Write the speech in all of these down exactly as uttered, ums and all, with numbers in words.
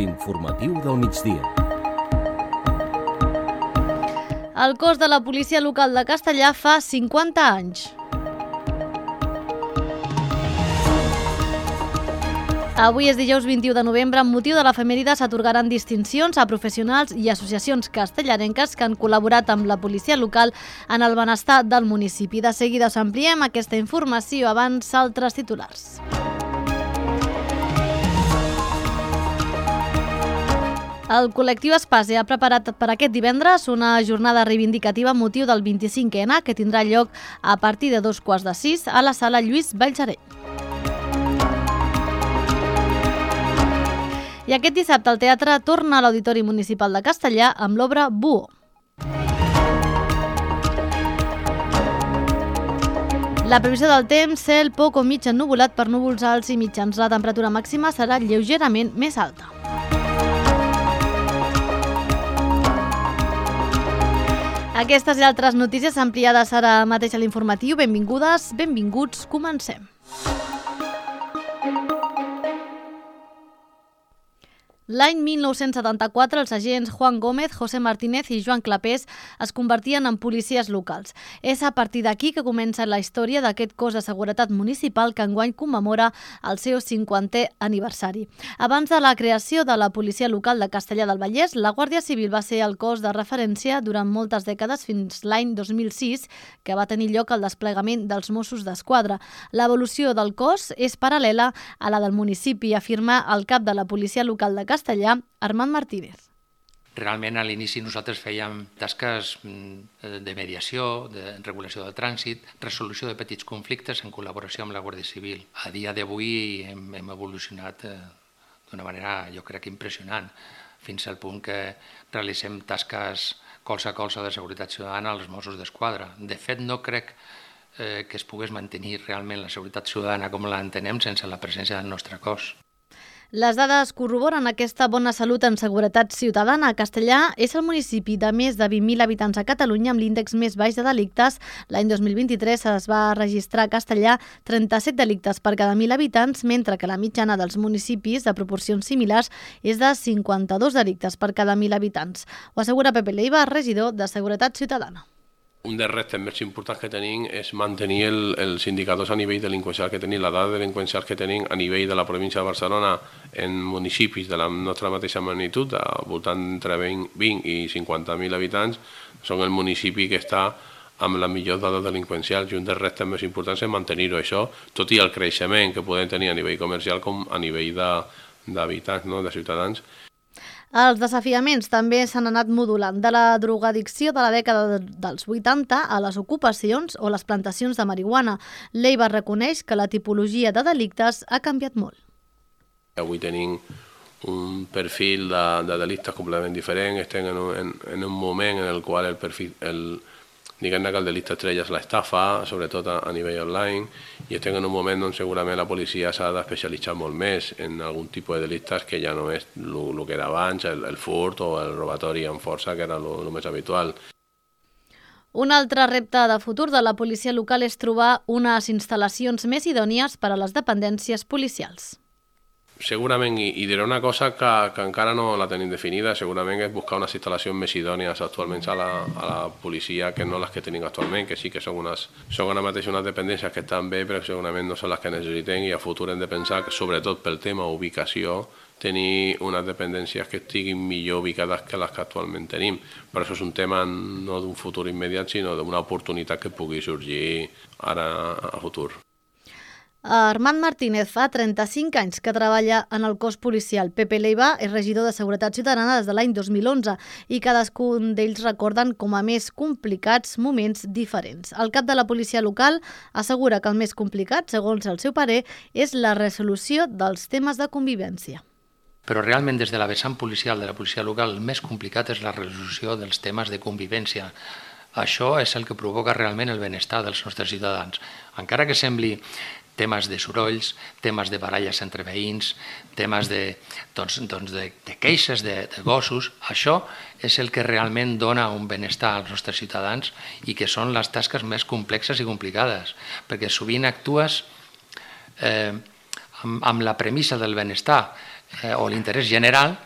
L'informatiu del migdia. El cos de la policia local de Castellar fa cinquanta anys. Avui és dijous vint-i-u de novembre. Amb motiu de l'efemèride s'atorgaran distincions a professionals i associacions castellarenques que han col·laborat amb la policia local en el benestar del municipi. De seguida us ampliem aquesta informació, abans altres titulars. El col·lectiu Espase ha preparat per aquest divendres una jornada reivindicativa amb motiu del vint-i-cinquè ena que tindrà lloc a partir de dos quarts de sis a la sala Lluís Vallsereny. I aquest dissabte el teatre torna a l'Auditori Municipal de Castellar amb l'obra Buo. La previsió del temps, cel poc o mig ennuvolat per núvols alts i mitjans. La temperatura màxima serà lleugerament més alta. Aquestes i altres notícies ampliades ara mateix a l'informatiu. Benvingudes, benvinguts, comencem. L'any mil nou-cents setanta-quatre, els agents Juan Gómez, José Martínez i Joan Clapés es convertien en policies locals. És a partir d'aquí que comença la història d'aquest cos de seguretat municipal que enguany commemora el seu cinquantè aniversari. Abans de la creació de la policia local de Castellar del Vallès, la Guàrdia Civil va ser el cos de referència durant moltes dècades fins l'any dos mil sis, que va tenir lloc el desplegament dels Mossos d'Esquadra. L'evolució del cos és paral·lela a la del municipi, afirma el cap de la policia local de Castellar, Castellà, Armand Martínez. Realment a l'inici nosaltres fèiem tasques de mediació, de regulació del trànsit, resolució de petits conflictes en col·laboració amb la Guàrdia Civil. A dia d'avui hem, hem evolucionat d'una manera, jo crec, impressionant, fins al punt que realitzem tasques colze a colze de seguretat ciutadana als Mossos d'Esquadra. De fet, no crec eh, que es pogués mantenir realment la seguretat ciutadana com l'entenem sense la presència del nostre cos. Les dades corroboren aquesta bona salut en seguretat ciutadana. Castellar és el municipi de més de vint mil habitants a Catalunya amb l'índex més baix de delictes. L'any dos mil vint-i-tres es va registrar a Castellar trenta-set delictes per cada mil habitants, mentre que la mitjana dels municipis de proporcions similars és de cinquanta-dos delictes per cada mil habitants. Ho assegura Pepe Leiva, regidor de Seguretat Ciutadana. Un dels reptes més importants que tenim és mantenir el, els indicadors a nivell delinqüencial que tenim, la dada delinqüencial que tenim a nivell de la província de Barcelona en municipis de la nostra mateixa magnitud, al voltant entre vint i cinquanta mil habitants, són el municipi que està amb la millor dada delinqüencial, i un dels reptes més importants és mantenir-ho això, tot i el creixement que podem tenir a nivell comercial com a nivell d'habitants, no?, de ciutadans. Els desafiaments també s'han anat modulant, de la drogadicció de la dècada dels vuitanta a les ocupacions o les plantacions de marihuana. Leiva reconeix que la tipologia de delictes ha canviat molt. Avui tenim un perfil de, de delictes completament diferent, estem en un, en, en un moment en el qual el perfil... El, diguem-ne que el delicte estrella és l'estafa, sobretot a, a nivell online, i estem en un moment on segurament la policia s'ha d'especialitzar molt més en algun tipus de delictes que ja no és el que era abans, el, el furt o el robatori amb força, que era el més habitual. Un altre repte de futur de la policia local és trobar unes instal·lacions més idònies per a les dependències policials. Segurament, i, i diré una cosa que, que encara no la tenim definida, segurament és buscar unes instal·lacions més idònies actualment a la, a la policia que no les que tenim actualment, que sí que són, unes, són ara mateix unes dependències que estan bé, però segurament no són les que necessitem, i a futur hem de pensar que, sobretot pel tema ubicació, tenir unes dependències que estiguin millor ubicades que les que actualment tenim. Però això és un tema no d'un futur immediat, sinó d'una oportunitat que pugui sorgir ara a futur. Armand Martínez fa trenta-cinc anys que treballa en el cos policial. Pepe Leiva és regidor de Seguretat Ciutadana des de l'any dos mil onze i cadascun d'ells recorden com a més complicats moments diferents. El cap de la policia local assegura que el més complicat, segons el seu parer, és la resolució dels temes de convivència. Però realment des de la vessant policial de la policia local el més complicat és la resolució dels temes de convivència. Això és el que provoca realment el benestar dels nostres ciutadans. Encara que sembli temes de sorolls, temes de baralles entre veïns, temes de, doncs, doncs de, de queixes de, de gossos. Això és el que realment dona un benestar als nostres ciutadans i que són les tasques més complexes i complicades, perquè sovint actues eh, amb, amb la premissa del benestar eh, o l'interès general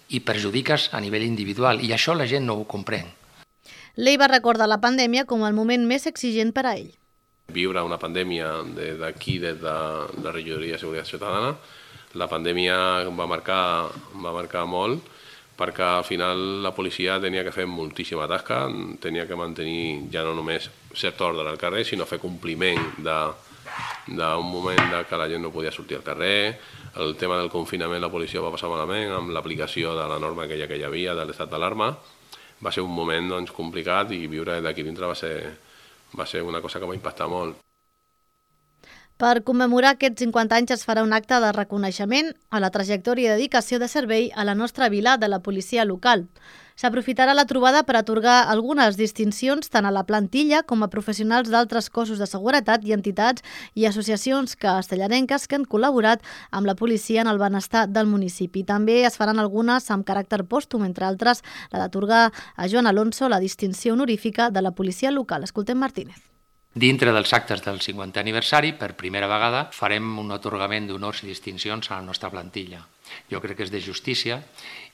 i perjudiques a nivell individual, i això la gent no ho comprèn. Ley va recordar la pandèmia com el moment més exigent per a ell. Viure una pandèmia d'aquí, des de la regidoria de Seguretat Ciutadana, la pandèmia va marcar, va marcar molt, perquè al final la policia tenia que fer moltíssima tasca, tenia que mantenir ja no només cert ordre al carrer, sinó fer compliment d'un moment que la gent no podia sortir al carrer. El tema del confinament la policia va passar malament amb l'aplicació de la norma aquella que hi havia, de l'estat d'alarma. Va ser un moment doncs, complicat i viure d'aquí dintre va ser... va ser una cosa que va impactar molt. Per commemorar aquests cinquanta anys es farà un acte de reconeixement a la trajectòria i dedicació de servei a la nostra vila de la policia local. S'aprofitarà la trobada per atorgar algunes distincions tant a la plantilla com a professionals d'altres cossos de seguretat i entitats i associacions castellarenques que han col·laborat amb la policia en el benestar del municipi. També es faran algunes amb caràcter pòstum, entre altres la d'atorgar a Joan Alonso la distinció honorífica de la policia local. Escoltem Martínez. Dintre dels actes del cinquantè aniversari, per primera vegada, farem un atorgament d'honors i distincions a la nostra plantilla. Jo crec que és de justícia.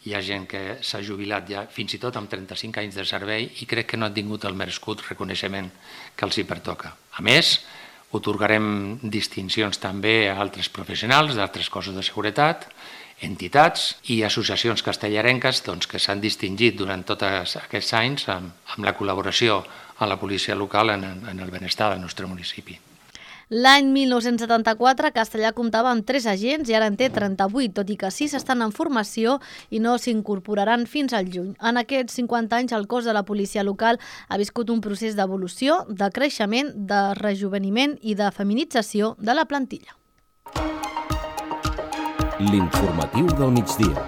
Hi ha gent que s'ha jubilat ja fins i tot amb trenta-cinc anys de servei i crec que no han tingut el merescut reconeixement que els hi pertoca. A més, atorgarem distincions també a altres professionals d'altres cossos de seguretat, entitats i associacions castellarenques doncs, que s'han distingit durant tots aquests anys amb, amb la col·laboració a la policia local en, en el benestar del nostre municipi. L'any mil nou-cents setanta-quatre, Castellar comptava amb tres agents i ara en té trenta-vuit, tot i que sis estan en formació i no s'incorporaran fins al juny. En aquests cinquanta anys, el cos de la policia local ha viscut un procés d'evolució, de creixement, de rejuveniment i de feminització de la plantilla. L'informatiu del migdia.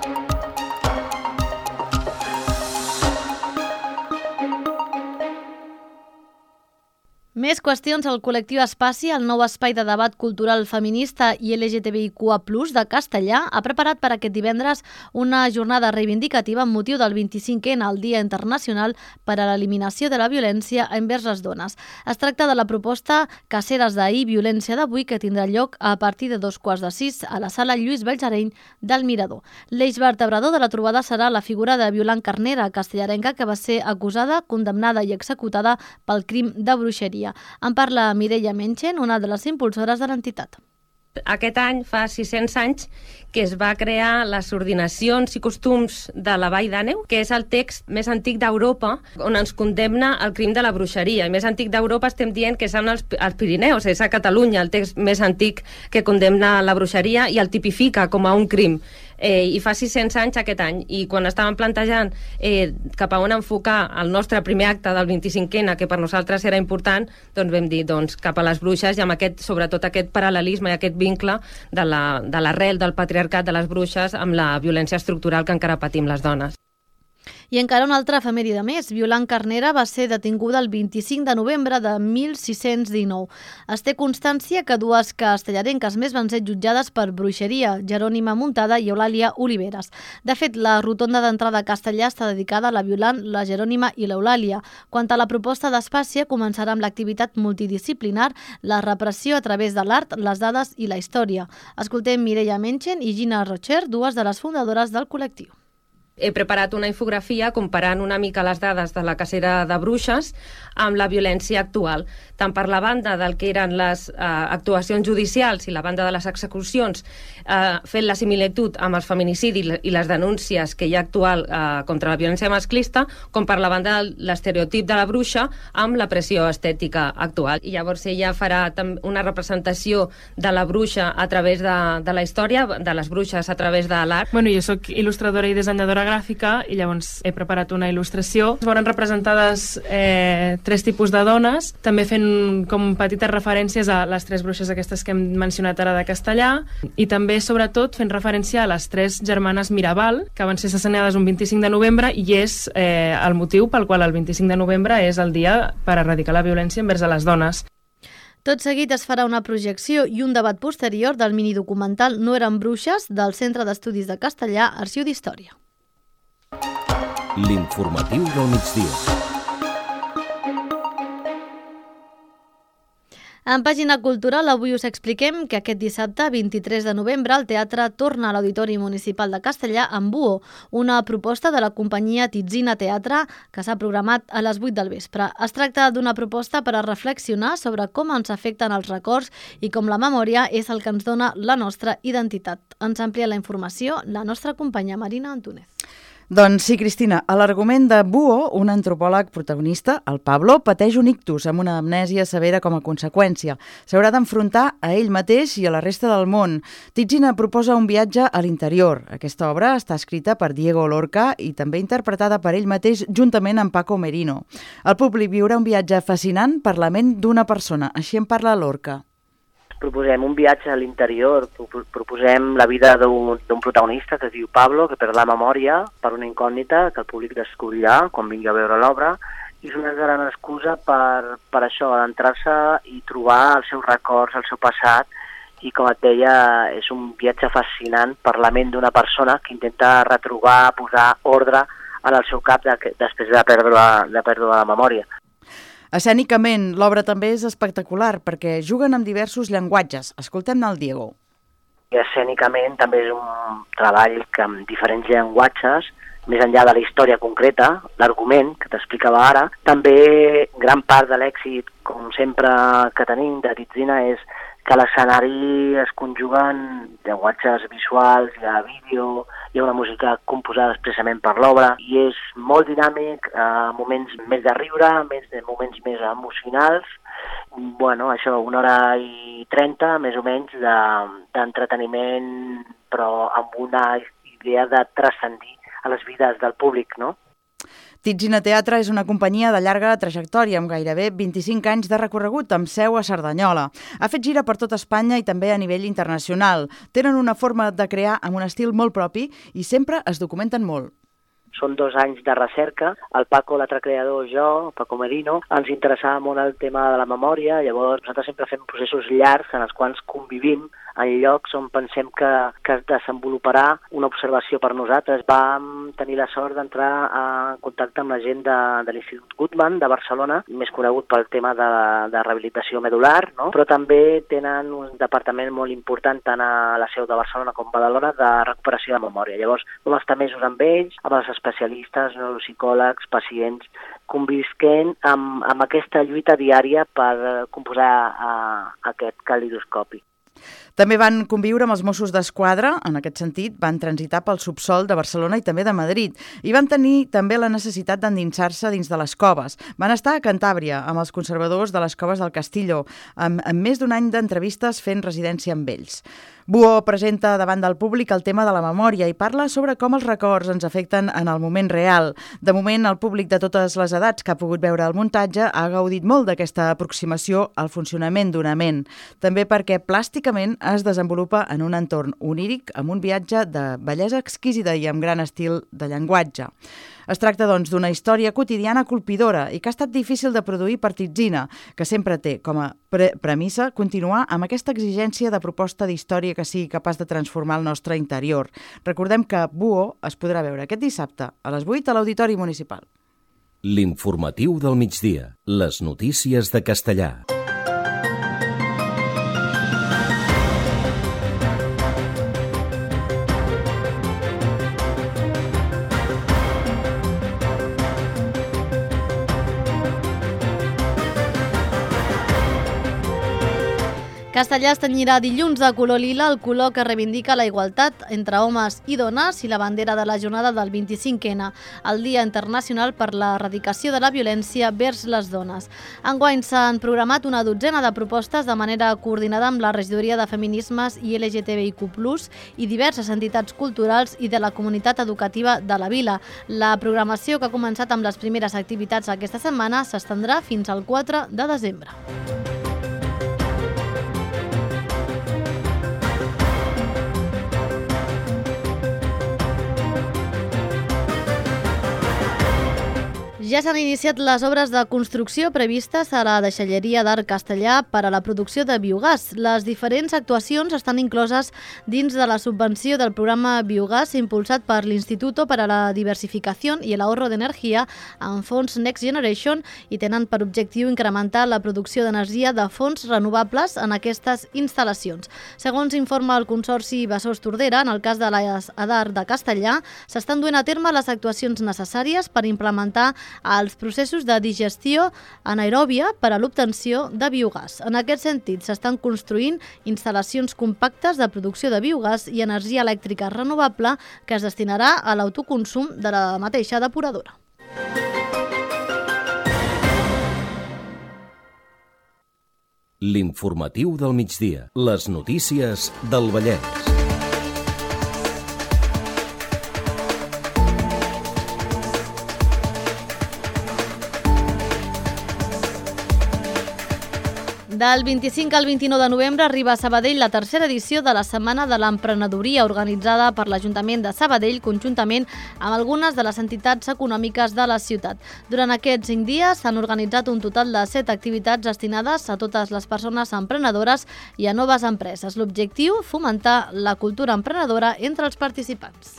Més qüestions. El col·lectiu Espaci, el nou espai de debat cultural feminista i L G T B I Q A plus, de Castellar, ha preparat per aquest divendres una jornada reivindicativa amb motiu del vint-i-cinquè, el Dia Internacional per a l'Eliminació de la Violència envers les dones. Es tracta de la proposta Caceres d'ahir, violència d'avui, que tindrà lloc a partir de dos quarts de sis a la sala Lluís Ballareny del Mirador. L'eix vertebrador de la trobada serà la figura de Violant Carnera, castellarenca, que va ser acusada, condemnada i executada pel crim de bruixeria. En parla Mireia Menchen, una de les impulsores de l'entitat. Aquest any fa sis-cents anys que es va crear les ordinacions i costums de la Vall d'Àneu, que és el text més antic d'Europa on ens condemna el crim de la bruixeria. I més antic d'Europa estem dient que són els, els Pirineus, és a Catalunya el text més antic que condemna la bruixeria i el tipifica com a un crim. Eh, I fa sis-cents anys aquest any. I quan estàvem plantejant eh, cap a on enfocar el nostre primer acte del vint-i-cinquè, que per nosaltres era important, doncs vam dir doncs, cap a les bruixes i amb aquest, sobretot aquest paral·lelisme i aquest vincle de la, de l'arrel del patriarcat de les bruixes amb la violència estructural que encara patim les dones. I encara una altra efemèride més. Violant Carnera va ser detinguda el vint-i-cinc de novembre de mil sis-cents dinou. Es té constància que dues castellarenques més van ser jutjades per bruixeria, Jerònima Muntada i Eulàlia Oliveres. De fet, la rotonda d'entrada a Castellar està dedicada a la Violant, la Jerònima i l'Eulàlia. Quant a la proposta d'Espàcia, començarà amb l'activitat multidisciplinar, la repressió a través de l'art, les dades i la història. Escoltem Mireia Menchen i Gina Rocher, dues de les fundadores del col·lectiu. He preparat una infografia comparant una mica les dades de la cacera de bruixes amb la violència actual, tant per la banda del que eren les eh, actuacions judicials i la banda de les execucions, eh, fent la similitud amb els feminicidis i les denúncies que hi ha actual eh, contra la violència masclista, com per la banda de l'estereotip de la bruixa amb la pressió estètica actual. I llavors ella farà una representació de la bruixa a través de, de la història, de les bruixes a través de l'art. Bueno, jo soc il·lustradora i dissenyadora gràfica i llavors he preparat una il·lustració. Es veuen representades eh, tres tipus de dones, també fent com petites referències a les tres bruixes aquestes que hem mencionat ara de Castellar i també, sobretot, fent referència a les tres germanes Mirabal, que van ser assassinades un vint-i-cinc de novembre i és eh, el motiu pel qual el vint-i-cinc de novembre és el dia per erradicar la violència envers a les dones. Tot seguit es farà una projecció i un debat posterior del minidocumental No eren bruixes del Centre d'Estudis de Castellar, Arxiu d'Història. L'informatiu del migdia. En pàgina cultural, avui us expliquem que aquest dissabte, vint-i-tres de novembre, el teatre torna a l'Auditori Municipal de Castellar amb Buo, una proposta de la companyia Titzina Teatre que s'ha programat a les vuit del vespre. Es tracta d'una proposta per a reflexionar sobre com ens afecten els records i com la memòria és el que ens dona la nostra identitat. Ens amplia la informació la nostra companya Marina Antúnez. Doncs sí, Cristina, a l'argument de Buo, un antropòleg protagonista, el Pablo, pateix un ictus amb una amnèsia severa com a conseqüència. S'haurà d'enfrontar a ell mateix i a la resta del món. Titzina proposa un viatge a l'interior. Aquesta obra està escrita per Diego Lorca i també interpretada per ell mateix juntament amb Paco Merino. El públic viurà un viatge fascinant per la ment d'una persona. Així en parla Lorca. Proposem un viatge a l'interior, proposem la vida d'un protagonista que es diu Pablo, que perd la memòria per una incògnita que el públic descobrirà quan vingui a veure l'obra, i és una gran excusa per, per això, adentrar-se i trobar els seus records, el seu passat, i com et deia, és un viatge fascinant per la ment d'una persona que intenta retrobar, posar ordre en el seu cap de, després de perdre, de perdre la memòria. Escènicament, l'obra també és espectacular perquè juguen amb diversos llenguatges. Escoltem-ne el Diego. I escènicament també és un treball que amb diferents llenguatges, més enllà de la història concreta, l'argument que t'explicava ara, també gran part de l'èxit, com sempre que tenim de Titzina, és que a l'escenari es conjuguen llenguatges visuals, hi ha vídeo, hi ha una música composada expressament per l'obra i és molt dinàmic, eh, moments més de riure, més de moments més emocionals. Bueno, això, una hora i trenta, més o menys, d'entreteniment, de, però amb una idea de transcendir a les vides del públic, no? Titzina Teatre és una companyia de llarga trajectòria, amb gairebé vint-i-cinc anys de recorregut, amb seu a Cerdanyola. Ha fet gira per tot Espanya i també a nivell internacional. Tenen una forma de crear amb un estil molt propi i sempre es documenten molt. Són dos anys de recerca. El Paco, l'altre creador, jo, Paco Merino, ens interessava molt el tema de la memòria. Llavors, nosaltres sempre fem processos llargs en els quals convivim en llocs on pensem que, que es desenvoluparà una observació per nosaltres. Vam tenir la sort d'entrar en contacte amb la gent de, de l'Institut Guttmann de Barcelona, més conegut pel tema de, de rehabilitació medular, no? Però també tenen un departament molt important tant a la seu de Barcelona com a Badalona de recuperació de memòria. Llavors, vam estar mesos amb ells, amb els especialistes, neuropsicòlegs, pacients, convisquent amb, amb aquesta lluita diària per composar uh, aquest calidoscopi. També van conviure amb els Mossos d'Esquadra, en aquest sentit van transitar pel subsol de Barcelona i també de Madrid, i van tenir també la necessitat d'endinsar-se dins de les coves. Van estar a Cantàbria, amb els conservadors de les coves del Castillo, amb, amb més d'un any d'entrevistes fent residència amb ells. Buo presenta davant del públic el tema de la memòria i parla sobre com els records ens afecten en el moment real. De moment, el públic de totes les edats que ha pogut veure el muntatge ha gaudit molt d'aquesta aproximació al funcionament d'una ment. També perquè plàsticament es desenvolupa en un entorn oníric amb un viatge de bellesa exquisida i amb gran estil de llenguatge. Es tracta, doncs, d'una història quotidiana colpidora i que ha estat difícil de produir per Titzina, que sempre té com a pre premissa continuar amb aquesta exigència de proposta d'història que sigui capaç de transformar el nostre interior. Recordem que Buo es podrà veure aquest dissabte a les vuit a l'Auditori Municipal. L'informatiu del migdia. Les notícies de Castellar. Castellar es tenyirà dilluns de color lila, el color que reivindica la igualtat entre homes i dones i la bandera de la jornada del vint-i-cinc ena, el Dia Internacional per l'Erradicació de la Violència vers les Dones. Enguany s'han programat una dotzena de propostes de manera coordinada amb la Regidoria de Feminismes i L G T B I Q plus, i diverses entitats culturals i de la comunitat educativa de la vila. La programació, que ha començat amb les primeres activitats aquesta setmana, s'estendrà fins al quatre de desembre. Ja s'han iniciat les obres de construcció previstes a la deixalleria d'Arc Castellà per a la producció de biogàs. Les diferents actuacions estan incloses dins de la subvenció del programa Biogàs impulsat per l'Instituto para la Diversificación y el Ahorro de Energía amb fons Next Generation i tenen per objectiu incrementar la producció d'energia de fonts renovables en aquestes instal·lacions. Segons informa el Consorci Besòs Tordera, en el cas de l'A D A R de Castellà, s'estan duent a terme les actuacions necessàries per implementar els processos de digestió anaeròbia per a l'obtenció de biogàs. En aquest sentit, s'estan construint instal·lacions compactes de producció de biogàs i energia elèctrica renovable que es destinarà a l'autoconsum de la mateixa depuradora. L'informatiu del migdia. Les notícies del Vallès. Del vint-i-cinc al vint-i-nou de novembre arriba a Sabadell la tercera edició de la Setmana de l'Emprenedoria organitzada per l'Ajuntament de Sabadell conjuntament amb algunes de les entitats econòmiques de la ciutat. Durant aquests cinc dies s'han organitzat un total de set activitats destinades a totes les persones emprenedores i a noves empreses. L'objectiu, fomentar la cultura emprenedora entre els participants.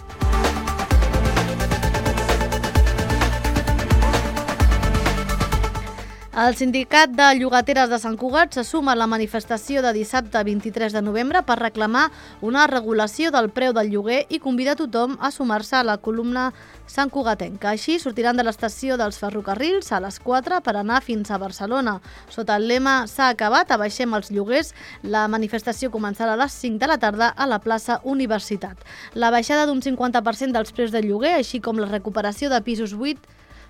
El Sindicat de Llogateres de Sant Cugat se suma a la manifestació de dissabte vint-i-tres de novembre per reclamar una regulació del preu del lloguer i convida a tothom a sumar-se a la columna santcugatenca. Així sortiran de l'estació dels ferrocarrils a les quatre per anar fins a Barcelona. Sota el lema "S'ha acabat, abaixem els lloguers", la manifestació començarà a les cinc de la tarda a la plaça Universitat. La baixada d'un cinquanta per cent dels preus del lloguer, així com la recuperació de pisos buits,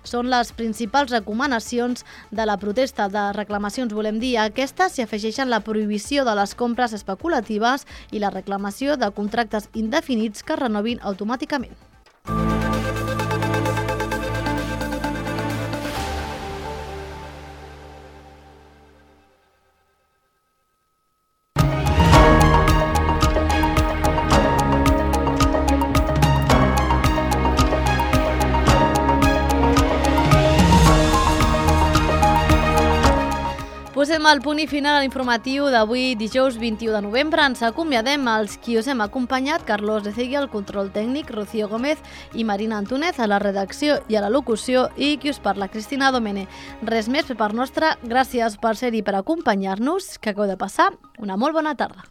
són les principals recomanacions de la protesta. De reclamacions, volem dir, a aquestes s'hi afegeixen la prohibició de les compres especulatives i la reclamació de contractes indefinits que es renovin automàticament. Posem el punt i final a l'informatiu d'avui, dijous vint-i-u de novembre. Ens acomiadem als qui us hem acompanyat, Carlos de Cegui, al control tècnic, Rocío Gómez i Marina Antúnez a la redacció i a la locució i qui us parla, Cristina Domene. Res més per part nostra, gràcies per ser-hi per acompanyar-nos, que acabeu de passar una molt bona tarda.